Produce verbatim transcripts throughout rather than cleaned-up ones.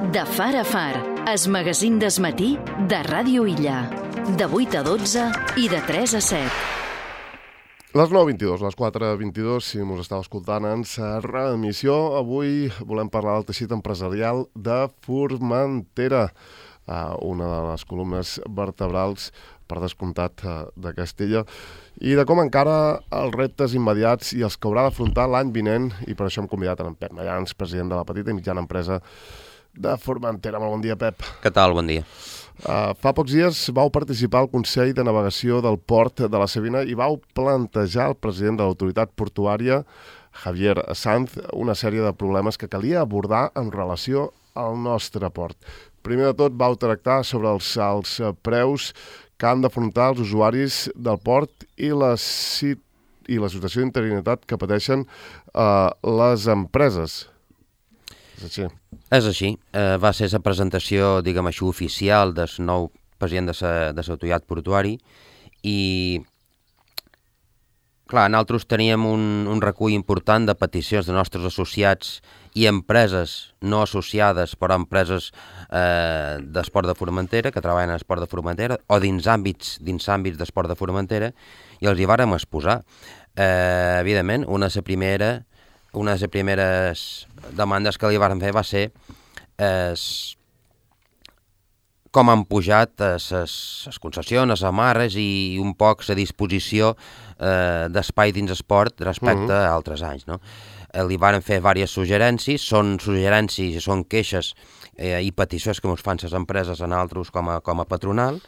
De far a far, es magazín des matí de Ràdio Illa. De vuit a dotze i de tres a set. Les nou vint-i-dos, les quatre vint-i-dos, si mos estàu escoltant en sa reemissió, avui volem parlar del teixit empresarial de Formentera, una de les columnes vertebrals, per descomptat, de Castella, i de com encara els reptes immediats i els que haurà d'afrontar l'any vinent, i per això hem convidat en Pep Mayans, president de la petita i mitjana empresa de Formentera. Molt bon dia, Pep. Què tal? Bon dia. Uh, fa pocs dies vau participar al Consell de Navegació del Port de la Savina i vau plantejar al president de l'autoritat portuària, Javier Sanz, una sèrie de problemes que calia abordar en relació al nostre port. Primer de tot, vau tractar sobre els alts preus que han d'afrontar els usuaris del port i la, i la situació d'interinitat que pateixen uh, les empreses. És així. És així. Eh, va ser la presentació, diguem així, oficial del nou president de l'autoritat portuari i, clar, nosaltres teníem un, un recull important de peticions de nostres associats i empreses no associades, però empreses eh, d'esport de Formentera, que treballen en esport de Formentera, o dins àmbits, dins àmbits d'esport de Formentera, i els hi vàrem exposar. Eh, evidentment, una de les primera, una de les primeres demandes que li vàrem fer va ser eh, com han pujat les concessions, les amarres i un poc la disposició eh, d'espai dins esport respecte uh-huh. a altres anys, no? Eh, li varen fer diverses suggerències, són suggerències, són queixes eh, i peticions que ens fan les empreses a nosaltres com a, com a patronal,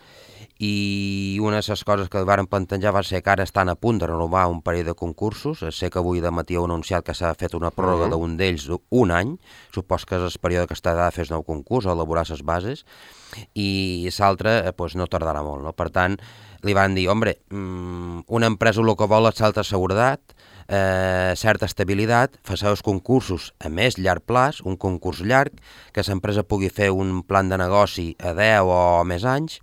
i una de les coses que li varen plantejar va ser que ara estan a punt de renovar un parell de concursos. Sé que avui de matí heu anunciat que s'ha fet una pròrroga uh-huh. d'un d'ells un any, supos que és el període que està de fer el nou concurs o elaborar les bases, i l'altre eh, pues, no tardarà molt, no? Per tant, li van dir, hombre, mmm, una empresa el que vol és certa seguretat, eh, certa estabilitat, facer els concursos a més llarg plaç, un concurs llarg, que l'empresa pugui fer un plan de negoci a deu o més anys,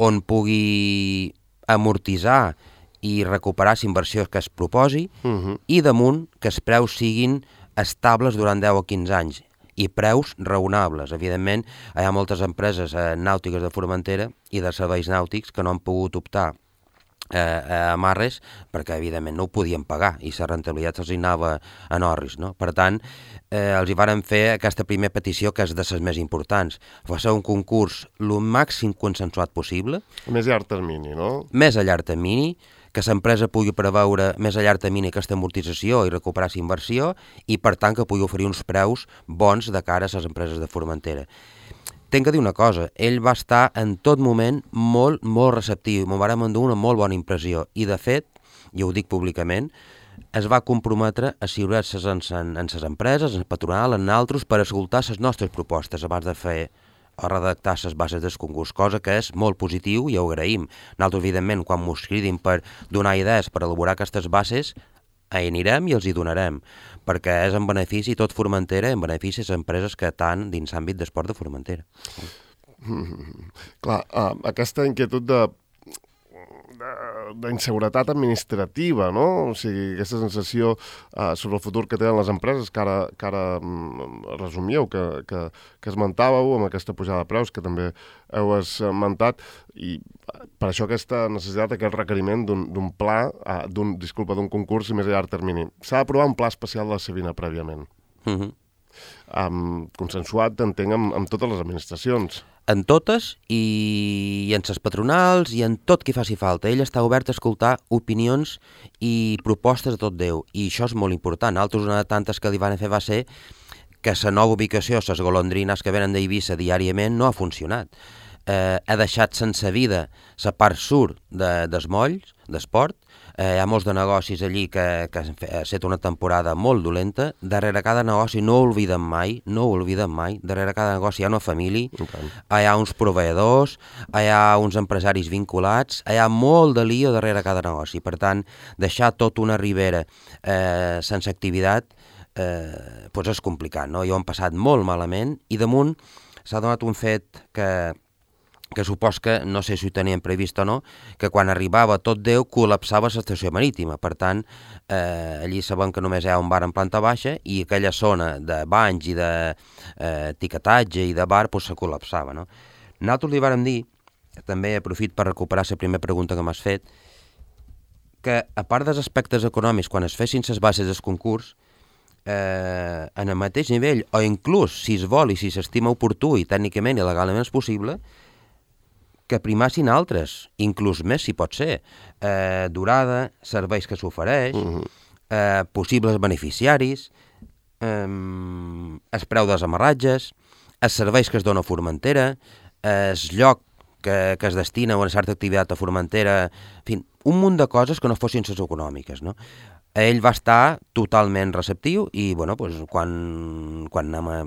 on pugui amortitzar i recuperar l'inversió que es proposi, uh-huh. i damunt que els preus siguin estables durant deu o quinze anys, i preus raonables. Evidentment, hi ha moltes empreses eh, nàutiques de Formentera i de serveis nàutics que no han pogut optar eh, a amarres perquè, evidentment, no ho podien pagar i la rentabilitat se'ls anava en orris, no? Per tant, eh, els hi varen fer aquesta primera petició, que és de les més importants. Va ser un concurs el màxim consensuat possible. Més a llarg termini, no? Més a llarg termini, que l'empresa pugui preveure més a llarg termini aquesta amortització i recuperar la inversió i, per tant, que pugui oferir uns preus bons de cara a les empreses de Formentera. Tenc que dir una cosa, ell va estar en tot moment molt, molt receptiu, m'ho vàrem endur una molt bona impressió, i de fet, i ho dic públicament, es va comprometre a asseure's en, en, en les empreses, en el patronal, en altres, per escoltar les nostres propostes abans de fer o redactar les bases del concurs, cosa que és molt positiu i ho agraïm. Nosaltres, evidentment, quan mos cridin per donar idees per elaborar aquestes bases, hi anirem i els hi donarem, perquè és en benefici tot Formentera, en benefici les empreses que estan dins l'àmbit d'esport de Formentera. Mm, clar, uh, aquesta inquietud de d'inseguretat administrativa, no? O sigui, aquesta sensació uh, sobre el futur que tenen les empreses, que ara, que ara um, resumíeu, que, que, que esmentàveu amb aquesta pujada de preus, que també heu esmentat, i per això aquesta necessitat, aquest requeriment d'un pla, uh, d'un, disculpa, d'un concurs més a llarg termini. S'ha d'aprovar un pla especial de la Savina prèviament. Uh-huh. Um, consensuat, entenc, amb, amb totes les administracions. En totes i, i en les patronals i en tot qui faci falta. Ell està obert a escoltar opinions i propostes de tot Déu, i això és molt important. Altres, una de tantes que li van fer va ser que la nova ubicació, les golondrines que venen d'Eivissa diàriament, no ha funcionat. Eh, ha deixat sense vida la part sud de, dels molls, d'esport. Eh, hi ha molts de negocis allí que, que ha estat una temporada molt dolenta. Darrere cada negoci, no ho oblidem mai, no ho oblidem mai, darrere cada negoci hi ha una família, okay. Hi ha uns proveïdors, hi ha uns empresaris vinculats, hi ha molt de lío darrere cada negoci. Per tant, deixar tota una ribera eh, sense activitat eh, doncs és complicat, no? I ho han passat molt malament, i damunt s'ha donat un fet que que supos que, no sé si ho tenien previst o no, que quan arribava tot Déu col·lapsava l'estació marítima. Per tant, eh, allí sabem que només hi ha un bar en planta baixa i aquella zona de banys i d'etiquetatge i de bar pues, se col·lapsava. No? Nosaltres li vàrem dir, també aprofit per recuperar la primera pregunta que m'has fet, que a part dels aspectes econòmics, quan es fessin les bases del concurs, eh, en el mateix nivell, o inclús si es vol i si s'estima oportú i tècnicament i legalment és possible, que primassin altres, inclús més si pot ser, eh, durada, serveis que s'ofereix, uh-huh. eh, possibles beneficiaris, eh, el preu dels amarratges, els serveis que es dona a Formentera, el lloc que, que es destina a una certa activitat a Formentera, en fi, un munt de coses que no fossin les econòmiques, no? Ell va estar totalment receptiu i, bueno, pues, quan, quan anem a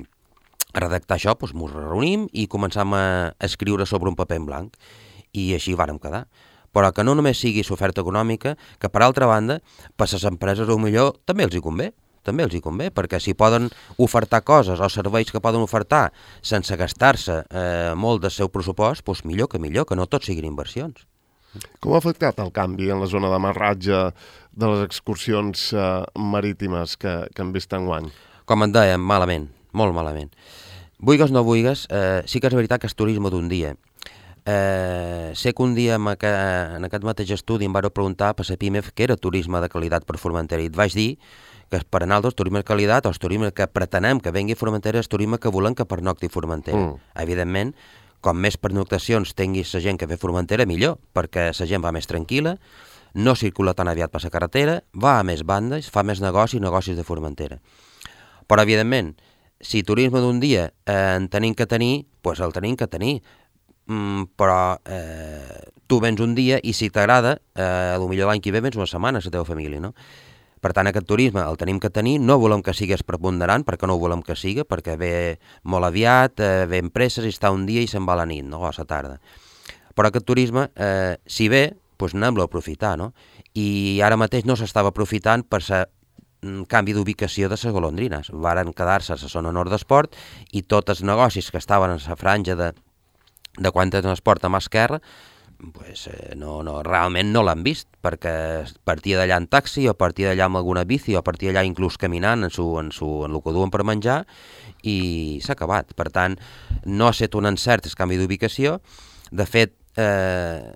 a redactar això, doncs ens reunim i començam a escriure sobre un paper en blanc. I així vàrem quedar. Però que no només sigui l'oferta econòmica, que per altra banda, per les empreses o millor també els hi convé, també els hi convé, perquè si poden ofertar coses o serveis que poden ofertar sense gastar-se eh, molt del seu pressupost, doncs millor que millor, que no tot siguin inversions. Com ha afectat el canvi en la zona d'amarratge de les excursions eh, marítimes que, que hem vist enguany? Com et dèiem, malament, molt malament. Vulgues o no vulgues, eh, sí que és veritat que és turisme d'un dia. Eh, sé que un dia en aquest, en aquest mateix estudi em vau preguntar per la PIMEF què era turisme de qualitat per Formentera i et vaig dir que per a nosaltres turisme de qualitat o el turisme que pretenem que vengui a Formentera és turisme que volem que pernocti a Formentera. Mm. Evidentment, com més pernoctacions tingui la gent que ve a Formentera, millor, perquè la gent va més tranquil·la, no circula tan aviat per la carretera, va a més bandes, fa més negocis, negocis de Formentera. Però, evidentment, si turisme d'un dia eh, en tenim que tenir, doncs el tenim que tenir. Mm, però eh, tu vens un dia i si t'agrada, eh, potser l'any que ve vens una setmana a la teva família, no? Per tant, aquest turisme el tenim que tenir, no volem que sigués preponderant, perquè no ho volem que sigui, perquè ve molt aviat, eh, ve en presses i està un dia i se'n va a la nit, no? O a la tarda. Però aquest turisme, eh, si ve, doncs anem-lo a aprofitar, no? I ara mateix no s'estava aprofitant per sa canvi d'ubicació de les golondrines. Varen quedar-se a la zona nord d'esport i tots els negocis que estaven en la franja de, de quan tenen esport a mà esquerra, pues, eh, no, no, realment no l'han vist, perquè partia d'allà en taxi o partia d'allà amb alguna bici o partia d'allà inclús caminant en, su, en, su, en el que duen per menjar i s'ha acabat. Per tant, no ha estat un encert el canvi d'ubicació. De fet, eh,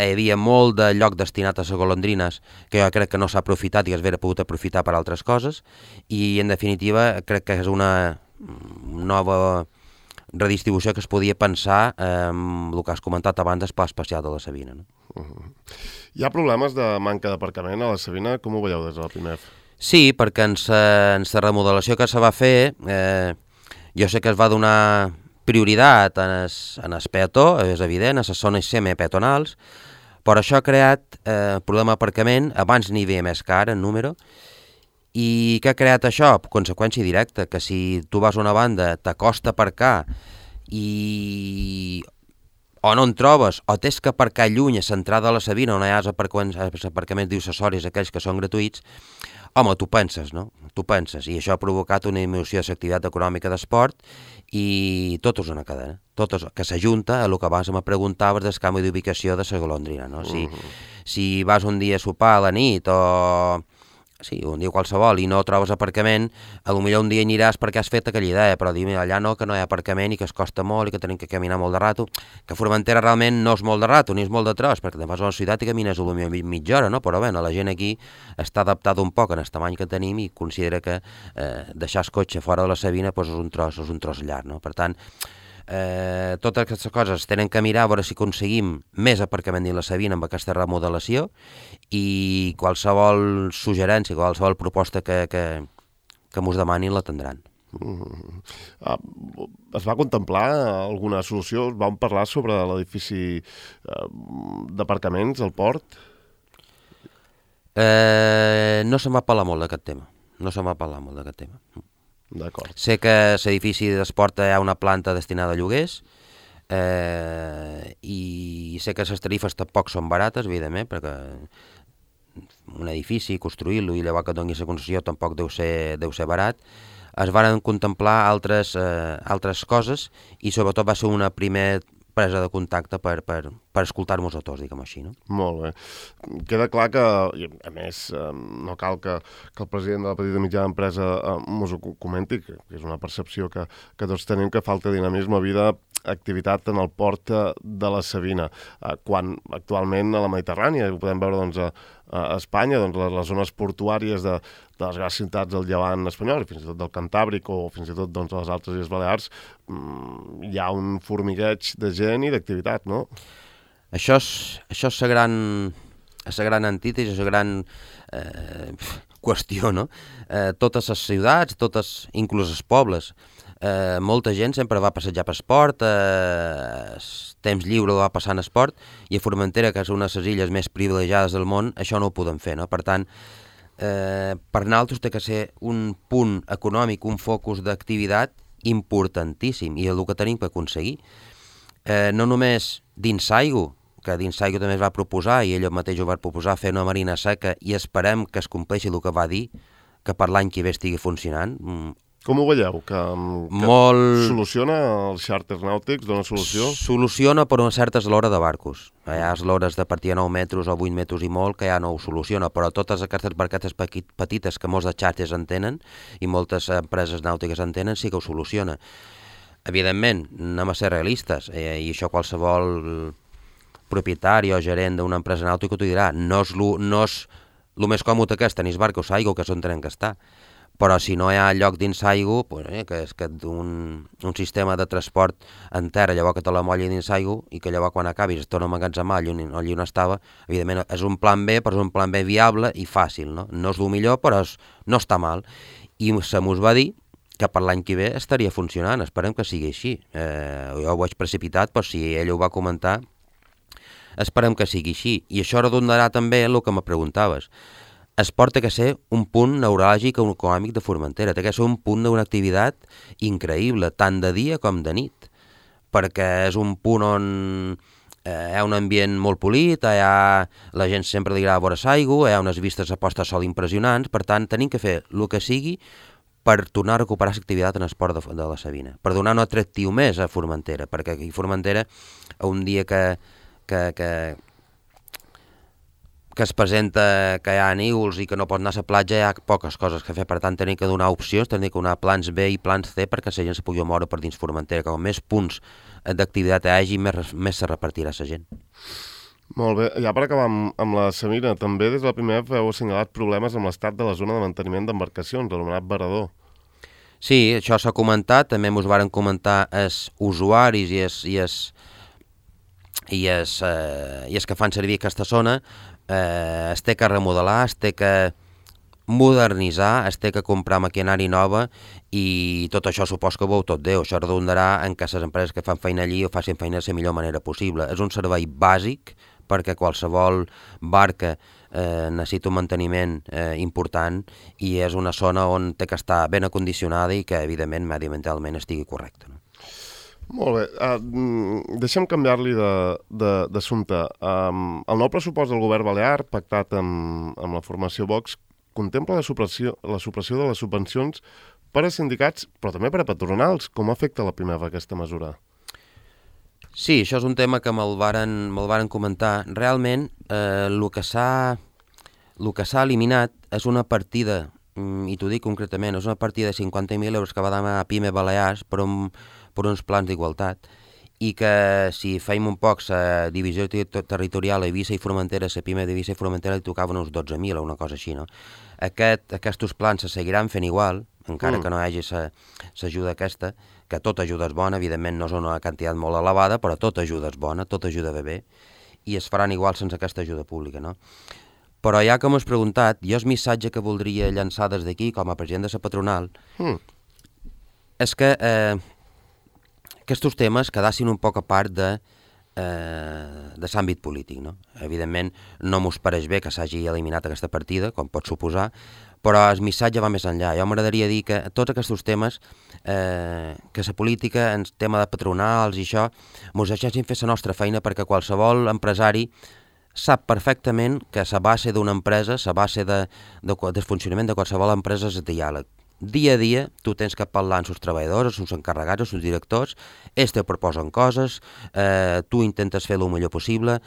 hi havia molt de lloc destinat a les golondrines que jo crec que no s'ha aprofitat i es hauria pogut aprofitar per altres coses i en definitiva crec que és una nova redistribució que es podia pensar amb el que has comentat abans del Pla Especial de la Sabina. No? Uh-huh. Hi ha problemes de manca d'aparcament a la Sabina? Com ho veieu des de la PIMEF? Sí, perquè en la remodelació que se va fer eh, jo sé que es va donar prioritat en el, en el peató, és evident, a les zones semipeatonals, però això ha creat eh, problema d'aparcament, abans n'hi havia més car en número, i què ha creat això? Conseqüència directa, que si tu vas a una banda, t'acosta a aparcar i o no en trobes, o tens que aparcar lluny a l'entrada de la Sabina, on hi ha els aparcaments, aparcaments accessoris, aquells que són gratuïts, home, tu penses, no? Tu penses, i això ha provocat una diminució de l'activitat econòmica d'esport i tot és una cadena, tot és, que s'ajunta a el que abans me preguntaves del canvi d'ubicació de la golondrina, no? Si, uh-huh. si vas un dia a sopar a la nit o sí, un dia qualsevol i no trobes aparcament, potser un dia aniràs perquè has fet aquella idea, però dir, allà no, que no hi ha aparcament i que es costa molt i que tenim que caminar molt de rato, que Formentera realment no és molt de rato, ni és molt de tros, perquè te'n vas a una ciutat i camines potser mitja hora, no? Però bé, la gent aquí està adaptada un poc en el tamany que tenim i considera que eh, deixar el cotxe fora de la Sabina doncs és un tros, és un tros llarg, no? Per tant, Eh, totes aquestes coses tenen que mirar a veure si aconseguim més aparcament dins la Sabina amb aquesta remodelació i qualsevol suggerència, qualsevol proposta que, que, que mos demanin la tindran. Mm. Ah, es va contemplar alguna solució? Vam parlar sobre l'edifici eh, d'aparcaments al port? Eh, no se'n va parlar molt d'aquest tema. No se'n va parlar molt d'aquest tema. D'acord. Sé que l'edifici d'esport hi ha una planta destinada a lloguers eh, i sé que les tarifes tampoc són barates, evidentment, perquè un edifici, construir-lo i llavors que doni la concessió tampoc deu ser, deu ser barat. Es van contemplar altres, eh, altres coses i sobretot va ser una primer, presa de contacte per, per, per escoltar-nos a tots, diguem així, no? Molt bé. Queda clar que, a més, no cal que, que el president de la petita i mitjana empresa ens ho comenti, que és una percepció que, que tots tenim, que falta dinamisme, vida, activitat en el port de la Savina, quan actualment a la Mediterrània, ho podem veure doncs, a, a Espanya, doncs, les, les zones portuàries de, de les grans ciutats del Llevant espanyol, fins i tot del Cantàbric o fins i tot doncs, a les altres Illes Balears, mmm, hi ha un formigueig de gent i d'activitat, no? Això és, això és la gran, la gran antítesi, la gran eh, qüestió, no? Eh, totes les ciutats, totes, inclús els pobles, eh, molta gent sempre va passejar per esport, eh, temps lliure va passar en esport, i a Formentera, que és una de les illes més privilegiades del món, això no ho podem fer, no? Per tant, eh, per nosaltres té que ser un punt econòmic, un focus d'activitat importantíssim, i el que tenim que aconseguir. Eh, no només dins Saigo, que dins Saigo també es va proposar, i ell mateix ho va proposar, fer una marina seca, i esperem que es compleixi el que va dir, que per l'any que ve estigui funcionant. Com ho veieu? Que, que Molt... soluciona els xàrters nàutics? Dona solució? Soluciona per una certa eslora de barcos. Hi ha eslores de partir a nou metres o vuit metres i molt, que ja no ho soluciona, però totes aquestes barquetes petites que molts de xàrters en tenen, i moltes empreses nàutiques en tenen, sí que ho soluciona. Evidentment, anem a ser realistes, eh, i això qualsevol propietari o gerent d'una empresa nàutica t'ho dirà. No és el no més còmode que és tenir barcos a aigua, que és on tenen que estar. Però si no hi ha lloc dins aigua, pues, eh, que és que un, un sistema de transport en terra, llavors que te la molla dins aigua, i que llavors quan acabis es torna a emmagatzemar allà on, allà on estava, evidentment és un plan B, però és un plan B viable i fàcil, no? No és el millor, però és, no està mal. I se mos va dir que per l'any que ve estaria funcionant, esperem que sigui així. Eh, jo ho vaig precipitat, però si ell ho va comentar, esperem que sigui així. I això redondarà també el que me preguntaves. Esport té que ser un punt neuràlgic o econòmic de Formentera, té que ser un punt d'una activitat increïble, tant de dia com de nit, perquè és un punt on eh, hi ha un ambient molt polit, hi ha, la gent sempre li agrada veure l'aigua, hi ha unes vistes a posta de sol impressionants, per tant tenim que fer el que sigui per tornar a recuperar l'activitat en esport de, de la Savina, per donar un atractiu més a Formentera, perquè aquí a Formentera, un dia que, que, que, que es presenta que hi ha nígols i que no pot anar a la platja, hi ha poques coses que fer, per tant tenim que donar opcions, tenim que donar plans B i plans C perquè la gent se pugui moure per dins Formentera, que com més punts d'activitat hi hagi, més, més se repartirà la gent. Molt bé, ja per acabar amb, amb la Savina, també des de la primera heu assenyalat problemes amb l'estat de la zona de manteniment d'embarcacions, l'anomenat Varador. Sí, això s'ha comentat, també ens varen comentar els usuaris i els, i els, i els, eh, i els que fan servir aquesta zona, eh, es té que remodelar, es té que modernitzar, es té que comprar maquinari nova, i tot això supos que ho veu tot Déu. Això redondarà en que les empreses que fan feina allí ho facin feina de la millor manera possible. És un servei bàsic perquè qualsevol barca eh, necessita un manteniment eh, important, i és una zona on té que estar ben acondicionada i que, evidentment, mediambientalment estigui correcta. No? Molt bé. Uh, deixem canviar-li d'assumpte. Um, el nou pressupost del govern balear, pactat amb, amb la formació Vox, contempla la supressió, la supressió de les subvencions per a sindicats, però també per a patronals. Com afecta la Pimeva aquesta mesura? Sí, això és un tema que me'l varen, me'l varen comentar. Realment, eh, el que s'ha el que s'ha eliminat és una partida, i t'ho dic concretament, és una partida de cinquanta mil euros que va demanar a Pime Balears per, un, per uns plans d'igualtat, i que si feim un poc la divisió territorial a Eivissa i Formentera, la Pime d'Eivissa i Formentera li tocaven uns dotze mil o una cosa així, no? Aquest, aquests plans se seguiran fent igual, encara mm. que no hi hagi l'ajuda aquesta, que tota ajuda és bona, evidentment no és una quantitat molt elevada, però tota ajuda és bona, tota ajuda ve bé, i es faran igual sense aquesta ajuda pública, no? Però ja que m'has preguntat, jo el missatge que voldria llançar des d'aquí, com a president de la patronal, mm. és que eh, aquests temes quedassin un poc a part de, eh, de l'àmbit polític, no? Evidentment, no m'ho pareix bé que s'hagi eliminat aquesta partida, com pot suposar, però el missatge va més enllà. Jo m'agradaria dir que tots aquests temes, eh, que la política, en tema de patronals i això, ens deixessin fer la nostra feina, perquè qualsevol empresari sap perfectament que la base d'una empresa, la base de, de, del funcionament de qualsevol empresa és el diàleg. dia a dia tu tens que parlar amb els treballadors, amb els encarregats, amb els directors, ells te proposen coses, eh, tu intentes fer el millor possible,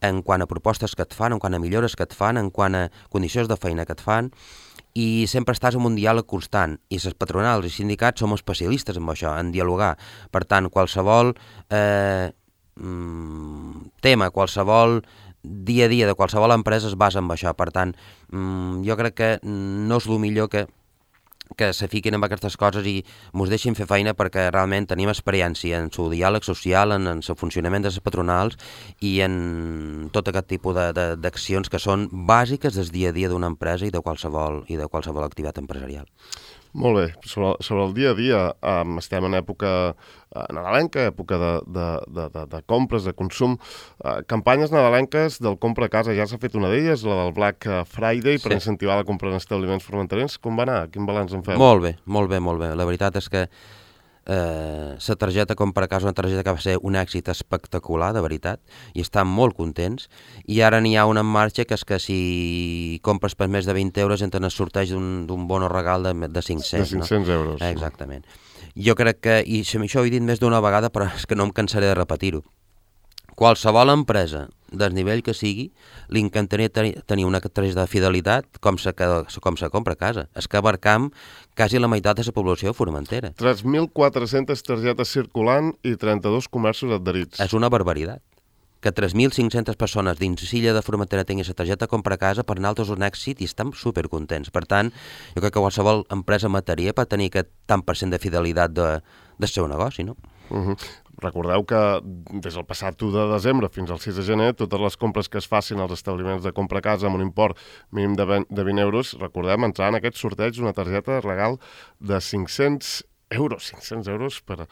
en quant a propostes que et fan, en quant a millores que et fan, en quant a condicions de feina que et fan, i sempre estàs en un diàleg constant, i les patronals i sindicats som especialistes en això, en dialogar. Per tant, qualsevol eh, tema, qualsevol dia a dia de qualsevol empresa es basa en això. Per tant, jo crec que no és el millor que que se fiquin en aquestes coses i mos deixin fer feina, perquè realment tenim experiència en el diàleg social, en, en el funcionament de les patronals i en tot aquest tipus d'accions que són bàsiques del dia a dia d'una empresa i de qualsevol i de qualsevol activitat empresarial. Molt bé. Sobre, sobre el dia a dia, um, estem en època uh, nadalenca, època de, de, de, de, de compres, de consum. Uh, campanyes nadalenques del compra a casa, ja s'ha fet una d'elles, la del Black Friday, sí, per incentivar la compra en establiments formenterens. Com va anar? Quin balanç en feu? Molt bé, molt bé, molt bé. La veritat és que eh, la targeta compra a casa, una targeta que va ser un èxit espectacular, de veritat, i estan molt contents. I ara n'hi ha una en marxa, que és que si compres per més de vint euros entren el sorteig d'un bono regal de, de cinc-cents. De cinc-cents no? euros. Exactament. Jo crec que, i això ho he dit més d'una vegada, però és que no em cansaré de repetir-ho, qualsevol empresa del nivell que sigui, li encantaria tenir una targeta de fidelitat com se, com se compra a casa. És que abarcam quasi la meitat de la població formentera. tres mil quatre-centes targetes circulant i trenta-dos comerços adherits. És una barbaritat. Que tres mil cinc-centes persones dins l'illa de Formentera tinguin la targeta compra a casa, per nosaltres és un èxit i estem supercontents. Per tant, jo crec que qualsevol empresa mataria per tenir aquest tant per cent de fidelitat de, del seu negoci, no? Uh -huh. Recordeu que des del passat u de desembre fins al sis de gener, totes les compres que es facin als establiments de compra a casa amb un import mínim de vint euros, recordem, entrar en aquest sorteig una targeta regal de cinc-cents euros, cinc-cents euros per,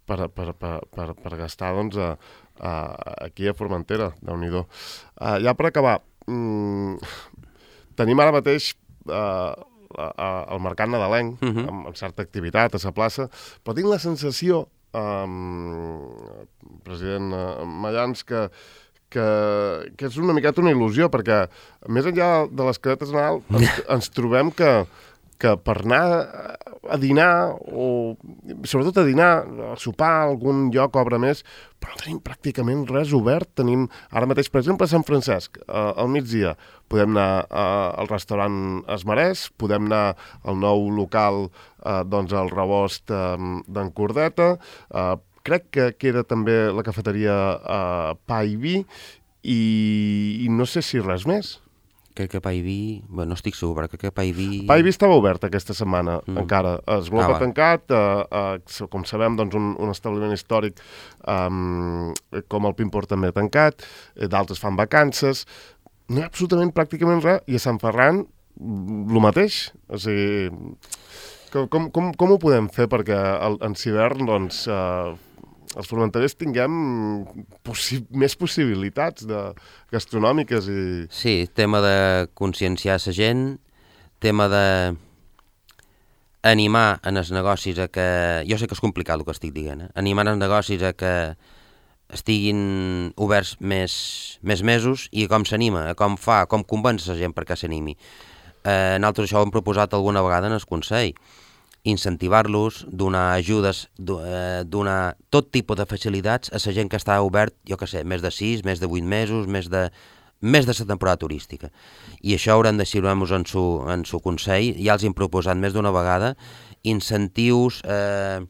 per, per, per, per, per gastar doncs, a, a, aquí a Formentera, Déu-n'hi-do. Uh, ja per acabar, mm, tenim ara mateix uh, el mercat nadalenc, uh -huh. amb, amb certa activitat a la plaça, però tinc la sensació, Um, president uh, Mayans, que, que, que és una miqueta una il·lusió, perquè més enllà de les cadetes de Nadal ens, ens trobem que, que per anar a dinar, o sobretot a dinar, a sopar, a algun lloc obre més, però no tenim pràcticament res obert. Tenim ara mateix, per exemple, a Sant Francesc, uh, al migdia, podem anar uh, al restaurant Esmarès, podem anar al nou local, uh, doncs al Rebost uh, d'en Cordeta, uh, crec que queda també la cafeteria uh, Pa i Vi, i, i no sé si res més. Crec que Pa i Vi... Bé, no estic segur, però crec que Pa i Vi... Pa i Vi estava obert aquesta setmana, mm. encara. Es Globa ah, tancat, uh, uh, com sabem, doncs un, un establiment històric um, com el Pimpor també tancat, d'altres fan vacances, no hi ha absolutament pràcticament res, i a Sant Ferran el mateix. O sigui, com, com, com ho podem fer perquè el, en hivern, doncs, uh, els formenterers tinguem possi més possibilitats de, gastronòmiques i... Sí, tema de conscienciar la gent, tema de animar en els negocis a que... Jo sé que és complicat el que estic dient, eh? Animar els negocis a que estiguin oberts més, més mesos, i com s'anima, com fa, com convenç la gent perquè s'animi. Eh, nosaltres això ho hem proposat alguna vegada en el Consell, incentivar-los, donar ajudes, donar tot tipus de facilitats a la gent que està obert, jo que sé, més de sis, més de vuit mesos, més de més de la temporada turística. I això haurem de decidir-nos en su, en su Consell, ja els hem proposat més d'una vegada, incentius, eh,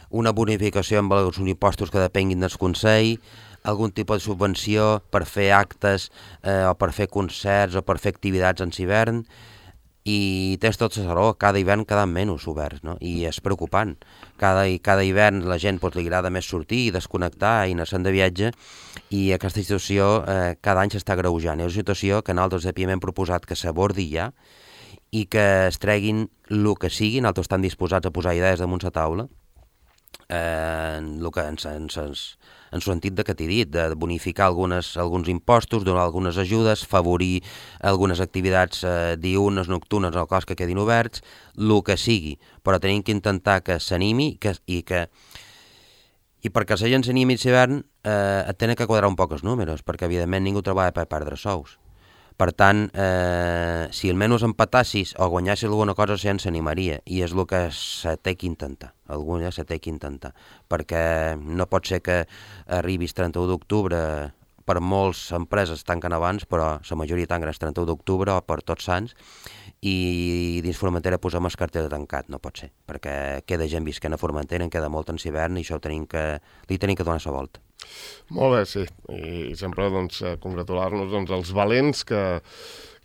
una bonificació amb els impostos que depenguin del Consell, algun tipus de subvenció per fer actes eh, o per fer concerts o per fer activitats en hivern. I tens tot la raó, cada hivern queden menys oberts, no? I és preocupant. Cada, cada hivern la gent pues, li agrada més sortir i desconnectar i anar-se'n de viatge, i aquesta situació eh, cada any s'està agreujant. És una situació que nosaltres de P I M hem proposat que s'abordi ja i que es treguin el que sigui. Nosaltres estem disposats a posar idees damunt la taula, eh, en el que ens... ens, ens en el sentit de que t'he dit, de bonificar algunes, alguns impostos, donar algunes ajudes, favorir algunes activitats eh, diurnes, nocturnes, o cos que quedin oberts, el que sigui, però tenim que intentar que s'animi que, i que i perquè la gent s'animi a l'hivern eh, et tenen que quadrar un poc els números, perquè evidentment ningú treballa per perdre sous. Per tant, eh, si almenys empatassis o guanyassis alguna cosa, ja ens animaria, i és el que se té que intentar, alguna se té que intentar, perquè no pot ser que arribis trenta-u d'octubre, per molts empreses tanquen abans, però la majoria tanquen el trenta-u d'octubre o per Tots Sants, i dins Formentera posem el cartell de tancat, no pot ser, perquè queda gent visquent a Formentera, en queda molt en hivern i això ho tenim que, li tenim que donar la volta. Molt bé, sí, i sempre doncs, congratular-nos doncs, els valents que,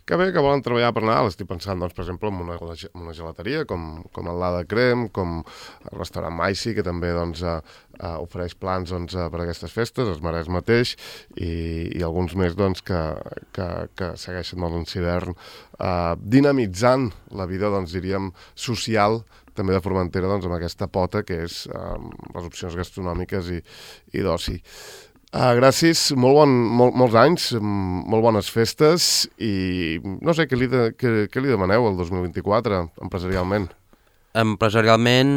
que bé, que volen treballar per Nadal. Estic pensant, doncs, per exemple, en una, en una gelateria com, com el L'Ada Crem, com el restaurant Maici, que també doncs, eh, eh, ofereix plans doncs, per a aquestes festes, es mereix mateix, i, i alguns més doncs, que, que, que segueixen doncs, l'hivern eh, dinamitzant la vida, doncs, diríem, social també de Formentera, doncs, amb aquesta pota que és eh, les opcions gastronòmiques i, i d'oci. Uh, gràcies, molt bon, molt, molts anys, molt bones festes, i no sé, què li, de, què, què li demaneu el dos mil vint-i-quatre, empresarialment? Empresarialment...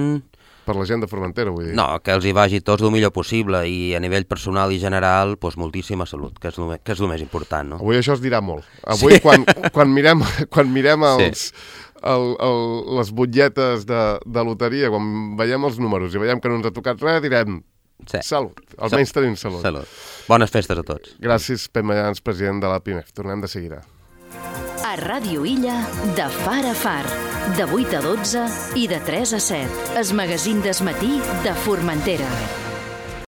Per la gent de Formentera, vull dir. No, que els hi vagi tots el millor possible, i a nivell personal i general, doncs moltíssima salut, que és el, que és el més important, no? Avui això es dirà molt. Avui, sí. quan, quan mirem, quan mirem els... Sí. El, el, les butlletes de, de loteria, quan veiem els números i veiem que no ens ha tocat res, direm sí. Salut, almenys tenim salut. Salut. Bones festes a tots. Gràcies, Pep Mayans, president de la PIMEF. Tornem de seguida. A Ràdio Illa, de far a far, de vuit a dotze i de tres a set. El magazín d'esmatí de Formentera.